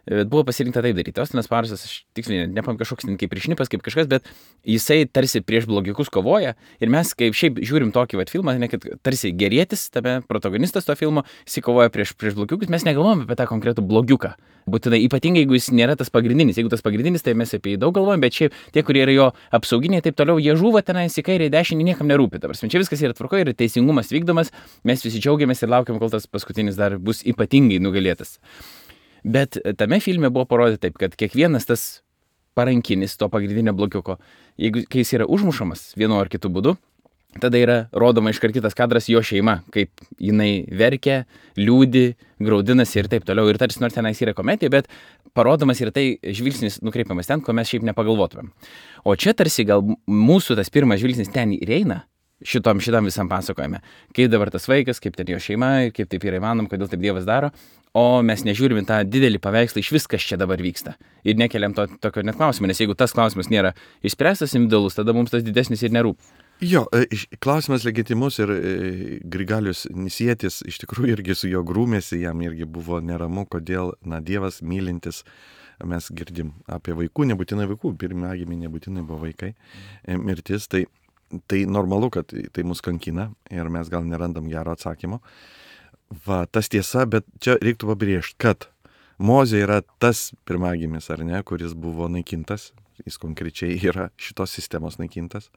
bet buvo pasirinkta taip daryti. Austinas Powersas, aš tiksliai nepam kažkoks kaip priešnipas, kaip kažkas, bet jisai tarsi prieš blogiukus kovoja ir mes kaip šiaip žiūrim tokį vat filmą, ne, kad tarsi gerietis, tame protagonistas to filmo, jisai kovoja prieš, prieš blogiukus, mes negalvojame apie tą konkretų blogiuką. Būtinai ypatingai, jeigu jis nėra tas pagrindinis. Jeigu tas pagrindinis, tai mes apie jį daug galvojame, bet šiaip tie, kurie yra jo apsauginiai, taip toliau, jie žūva tenais į kairę, į dešinį, niekam nerūpi. Ta prasme, čia viskas yra tvarkoje ir teisingumas vykdomas, mes visi džiaugiamės ir laukiam, kol tas paskutinis dar bus ypatingai nugalėtas. Bet tame filme buvo parodyta taip, kad kiekvienas tas parankinis to pagrindinio blogiuko, jeigu kai jis yra užmušamas vienu ar kitu būdu, tada yra rodoma iškart kitas kadras jo šeima, kaip jinai verkia, liūdi, graudinasi ir taip toliau. Ir tarsi nors tenais yra komedija, bet parodomas ir tai žvilgsnis nukreipiamas ten, ko mes šiaip nepagalvotumėm. O čia tarsi gal mūsų tas pirmas žvilgsnis ten ir eina šitom, šitam visam pasakojime. Kaip dabar tas vaikas, kaip ten jo šeima, kaip taip yra įmanom, kodėl taip Dievas daro. O mes nežiūrime tą didelį paveikslą iš viskas čia dabar vyksta. Ir nekeliam to tokio net klausimą, nes jeigu tas klausimas nėra išspręstas individualus, tada mums tas didesnis ir nerūpi. Jo, klausimas legitimus ir Grigalius Nisietis iš tikrųjų irgi su jo grūmėsi, jam irgi buvo neramu, kodėl, na, Dievas mylintis, mes girdim apie vaikų, nebūtinai vaikų, pirmagimiai nebūtinai buvo vaikai, mirtis, tai, tai normalu, kad tai mus kankina ir mes gal nerandam gero atsakymo. Va, tas tiesa, bet čia reiktų pabrėžti, kad Mozė yra tas pirmagimis, ar ne, kuris buvo naikintas, jis konkrečiai yra šitos sistemos naikintas.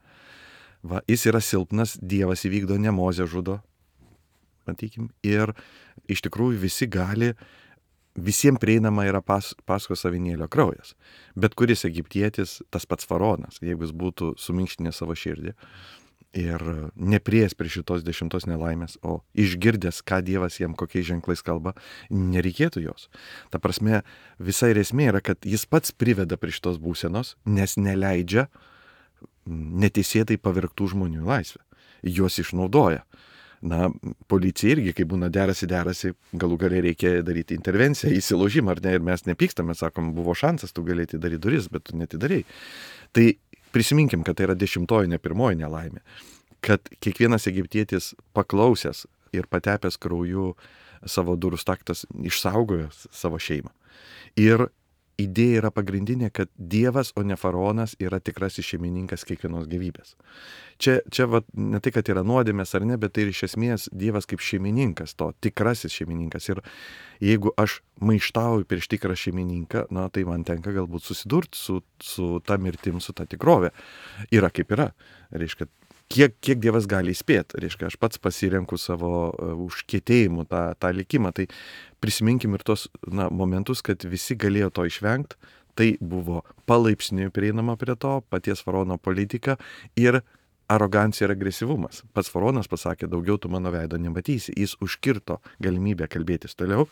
Va, jis yra silpnas, Dievas įvykdo, ne Mozė žudo, matykim, ir iš tikrųjų visi gali visiems prieinama yra pas, Paskos avinėlio kraujas. Bet kuris egiptietis, tas pats faraonas, jeigu jis būtų suminkštinęs savo širdį ir nepriėjęs prie šitos dešimtos nelaimės, o išgirdęs, ką Dievas jam kokiais ženklais kalba, nereikėtų jos. Ta prasme, visa ir esmė yra, kad jis pats priveda prie šitos būsenos, nes neleidžia neteisėtai pavergtų žmonių į laisvę. Juos išnaudoja. Na, policija irgi, kai būna derasi, derasi, galų galiai reikia daryti intervenciją, įsilaužimą, ar ne, ir mes nepykstame, sakom, buvo šansas, tu galėti daryti duris, bet tu netidarėjai. Tai prisiminkim, kad tai yra dešimtoji, ne pirmoji nelaimė, kad kiekvienas egiptietis paklausęs ir patepęs krauju savo durų staktas išsaugojo savo šeimą. Ir idėja yra pagrindinė, kad Dievas, o ne faraonas, yra tikrasis šeimininkas kiekvienos gyvybės. Čia, čia va, ne tai, kad yra nuodėmės ar ne, bet tai ir iš esmės Dievas kaip šeimininkas, to tikrasis šeimininkas. Ir jeigu aš maištauju prieš tikrą šeimininką, na, tai man tenka galbūt susidurti su, su ta mirtim, su ta tikrovė. Yra kaip yra. Reiškia, kiek, kiek Dievas gali įspėti. Reiškia, aš pats pasirenku savo uh, užkietėjimų tą, tą likimą. Tai prisiminkim ir tos na, momentus, kad visi galėjo to išvengti. Tai buvo palaipsniui prieinama prie to, paties faraono politika ir arogancija ir agresyvumas. Pats faraonas pasakė, daugiau tu mano veido nematysi. Jis užkirto galimybę kalbėtis toliau.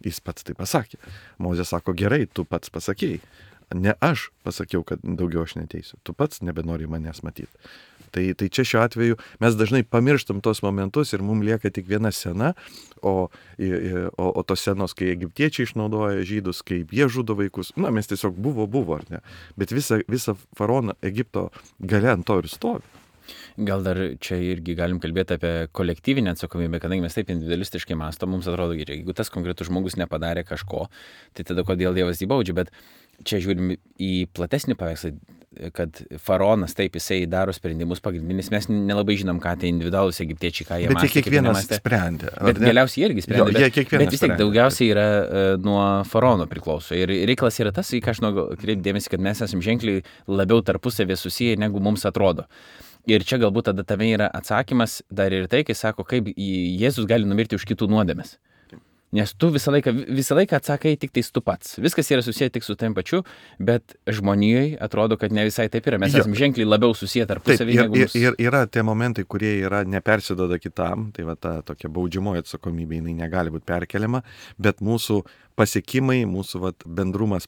Jis pats tai pasakė. Mozė sako, gerai, tu pats pasakėjai. Ne aš pasakiau, kad daugiau aš neteisiu. Tu pats nebenori manęs matyti. Tai, tai čia šiuo atveju mes dažnai pamirštam tos momentus ir mums lieka tik viena scena, o, o, o tos scenos, kai egiptiečiai išnaudoja žydus, kaip jie žudo vaikus, na, mes tiesiog buvo, buvo, ar ne. Bet visa, visa faraono Egipto galia ant to ir stovi. Gal dar čia irgi galim kalbėti apie kolektyvinę atsakomybę, kadangi mes taip individualistiškai mąstom, mums atrodo gerai, jeigu tas konkretus žmogus nepadarė kažko, tai tada kodėl Dievas jį baudžia, bet čia žiūrim į platesnį paveikslą, kad faraonas taip jisai daro sprendimus pagrindinis, mes nelabai žinom, ką tai individualūs egiptiečiai, ką jie mąstė. Bet jie kiekvienas sprendė. Bet galiausiai irgi sprendė, jo, bet, bet vis tiek daugiausiai yra uh, nuo faraono priklauso. Ir reikalas yra tas, į ką aš noriu kreipti dėmesį, kad mes esame ženkliai labiau tarpusavė susiję, negu mums atrodo. Ir čia galbūt tada tame yra atsakymas dar ir tai, kai sako, kaip Jėzus gali numirti už kitų nuodėmes. Nes tu visą laiką, visą laiką atsakai tik tais tu pats. Viskas yra susiję tik su tam pačiu, bet žmonijoje atrodo, kad ne visai taip yra. Mes jo. esame ženkliai labiau susiję tarpusavį. Ir, ir, ir yra tie momentai, kurie yra nepersidoda kitam, tai va ta tokia baudžiamoji atsakomybė, jinai negali būti perkeliama, bet mūsų pasiekimai, mūsų vat, bendrumas,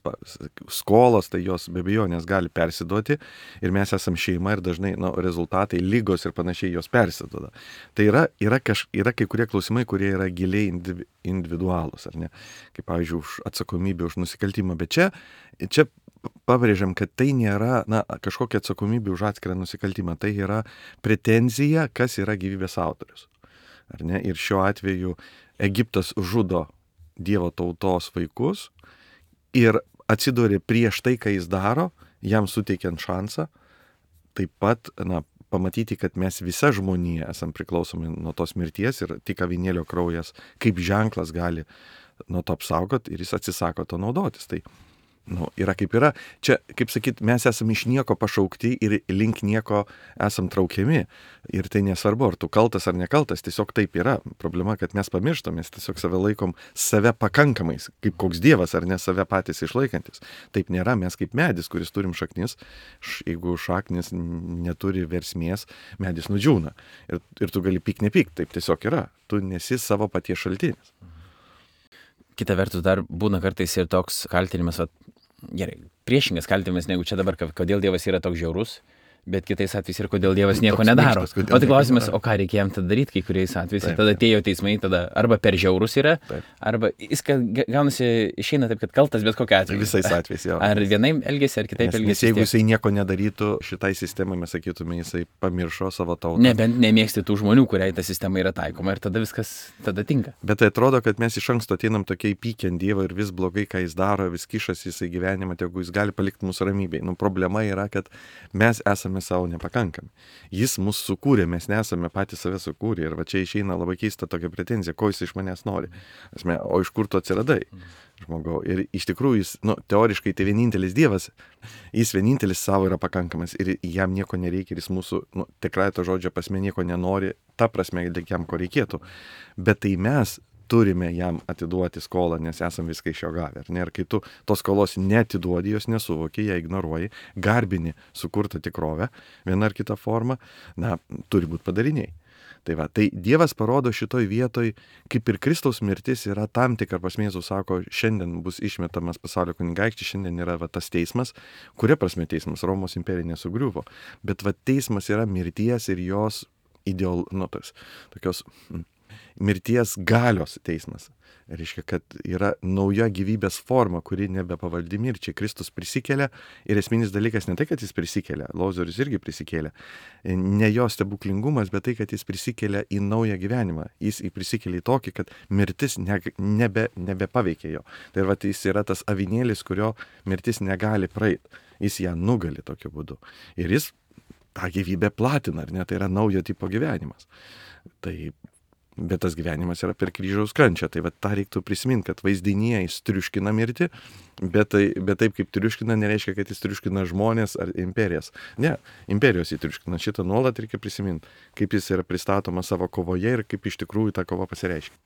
skolos, tai jos be abejonės gali persiduoti ir mes esam šeima ir dažnai nu, rezultatai, lygos ir panašiai jos persiduoda. Tai yra, yra, kaž, yra kai kurie klausimai, kurie yra giliai individualūs, ar ne? Kaip pavyzdžiui, už atsakomybę, už nusikaltimą, bet čia, čia pabrėžiam, kad tai nėra na, kažkokia atsakomybė už atskirą nusikaltimą, tai yra pretenzija, kas yra gyvybės autorius. Ar ne? Ir šiuo atveju Egiptas žudo Dievo tautos vaikus ir atsidūrė prieš tai, ką jis daro, jam suteikiant šansą, taip pat na, pamatyti, kad mes visa žmonija esam priklausomi nuo tos mirties ir tik avinėlio kraujas kaip ženklas gali nuo to apsaugoti ir jis atsisako to naudotis. Tai nu, yra kaip yra. Čia, kaip sakyt, mes esame iš nieko pašaukti ir link nieko esam traukiami. Ir tai nesvarbu, ar tu kaltas ar nekaltas, tiesiog taip yra. Problema, kad mes pamirštam, mes tiesiog save laikom save pakankamais, kaip koks dievas, ar ne save patys išlaikantis. Taip nėra, mes kaip medis, kuris turim šaknis, jeigu šaknis neturi versmės, medis nudžiūna. Ir, ir tu gali pyk nepyk, taip tiesiog yra. Tu nesi savo paties šaltinis. Kita vertus dar būna kartais ir toks kaltinimas, va, gerai, priešingas kaltinimas, negu čia dabar, kodėl Dievas yra toks žiaurus, bet kitais atvejais ir kodėl Dievas nieko toks nedaro. Minkštas, o tai klausimas, o ką reikia jam tada daryti, kai kuriais atvejais, taip, tada atėjo teismai, tada arba per žiaurus yra, taip. Arba jis gaunasi, išeina taip, kad kaltas bet kokia atveju. Visais atvejais, jo. Ar vienaip elgesi, ar kitaip elgesi. Nes jeigu jisai nieko nedarytų, šitai sistemai mes sakytume, jisai pamiršo savo tautą. Nebent nemėgsti tų žmonių, kuriai ta sistema yra taikoma ir tada viskas tada tinka. Bet tai atrodo, kad mes iš anksto ateinam tokiai pykiant Dievą ir vis blogai, ką jis daro, vis kišasi jisai gyvenimą, jeigu jis gali palikti mūsų ramybėj. Nu, problema yra, kad mes esame savo nepakankami. Jis mus sukūrė, mes nesame patys save sukūrę ir va čia išeina labai keista tokia pretenzija, ko jis iš manęs nori. Asme, o iš kur tu atsiradai, žmogau? Ir iš tikrųjų jis, nu, teoriškai tai vienintelis Dievas, jis vienintelis savo yra pakankamas ir jam nieko nereikia ir jis mūsų, nu, tikrai to žodžio prasme nieko nenori, ta prasme, jam ko reikėtų. Bet tai mes turime jam atiduoti skolą, nes esam viską iš jo gavę. Ar ne? Ir kai tu tos skolos neatiduodi, jos nesuvoki, ją ignoruoji, garbini sukurtą tikrovę, viena ar kita forma, na, turi būti padariniai. Tai va, tai Dievas parodo šitoj vietoj, kaip ir Kristaus mirtis yra tam tikra prasme, Jėzus sako, šiandien bus išmetamas pasaulio kunigaikštis, šiandien yra va, tas teismas, kuria prasme teismas, Romos imperija nesugriuvo, bet va, teismas yra mirties ir jos ideol, nu, tos, tokios mm, mirties galios teismas. Reiškia, kad yra nauja gyvybės forma, kuri nebepavaldi mirčiai. Kristus prisikelia ir esminis dalykas ne tai, kad jis prisikelia, Lozorius irgi prisikėlė. Ne jo stebuklingumas, bet tai, kad jis prisikelia į naują gyvenimą. Jis prisikelia į tokį, kad mirtis ne, nebe, nebepaveikia jo. Tai va, jis yra tas avinėlis, kurio mirtis negali praeiti. Jis ją nugali tokiu būdu. Ir jis tą gyvybę platina, ar ne? Tai yra naujo tipo gyvenimas. Tai bet tas gyvenimas yra per kryžiaus kančią. Tai va, tą reiktų prisiminti, kad vaizdinyje jis triuškina mirtį, bet, tai, bet taip kaip triuškina, nereiškia, kad jis triuškina žmonės ar imperijas. Ne, imperijos jį triuškina. Šitą nuolat reikia prisiminti, kaip jis yra pristatomas savo kovoje ir kaip iš tikrųjų ta kova pasireiškia.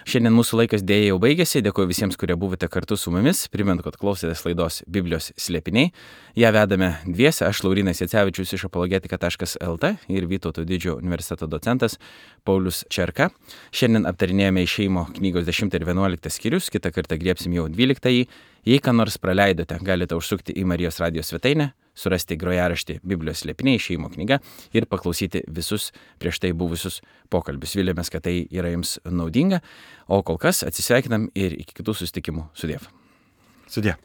Šiandien mūsų laikas dėja jau baigėsi. Dėkuoju visiems, kurie buvote kartu su mumis. Primenu, kad klausėtės laidos Biblijos slėpiniai. Ja vedame dviese, aš Laurynas Jacevičius iš apologetika taškas el t ir Vytauto didžiojo universiteto docentas Paulius Čerka. Šiandien aptarinėjame Išėjimo knygos dešimtą ir vienuoliktą skyrius, kitą kartą griebsim jau dvyliktąjį. Jei ką nors praleidote, galite užsukti į Marijos radijos svetainę, surasti grojaraštį Biblijos slėpiniai Išėjimo knyga ir paklausyti visus prieš tai buvusius pokalbius. Viliamės, kad tai yra jums naudinga, o kol kas atsisveikinam ir iki kitų susitikimų. Sudiev. Sudie.